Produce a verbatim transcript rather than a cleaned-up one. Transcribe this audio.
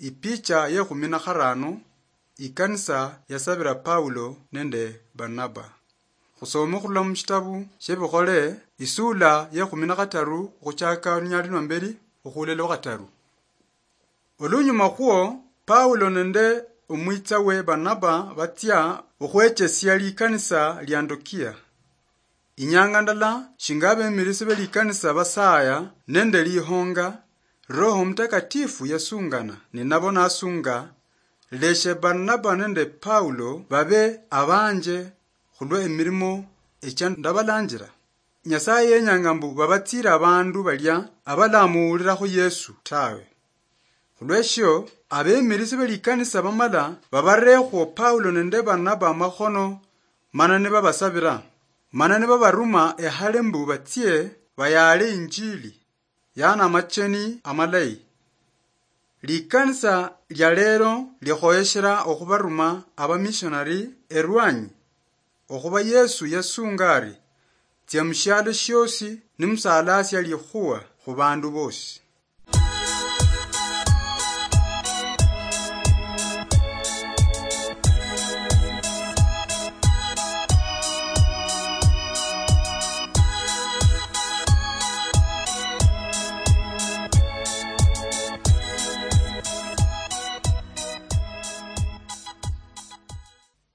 Ipicha yekhumi na kharano, ikanisa yasabira Paulo nende Barnaba. Khusome khurula mushitabu shebikhole, isula yekhumi na khataru, okhuchaka olunyali lwa mberi okhulela khataru. Olunyuma khwo, Paulo nende omwitsawe Barnaba batsia okhwechesia likanisa lia Antokia. Inyanga ndala, shinga abemirisi be likanisa basaya nende lihonga, Roho Mutakatifu yasungana ninabo nasunga, "Leshe Barnaba nende Paulo babe abanje khulwe emirimo echia ndabalanjira." Nyasaye yenyanga mbu babatsire abandu balia abalamuwulirakho Yesu tawe. Khulweshio, abemirisi be likanisa bamala babarekhwo Paulo nende Barnaba amakhono, mana nibabasabira, mana nibabaruma ehale mbu batsie bayaale injili, yaani amacheni amalayi. Likanisa lia lero likhoyeshera okhubaruma abamishonari erwanyi, okhuba Yesu yasunga ari, "Tsia mushialo shiosi nimusalasia likhuwa khubandu bosi."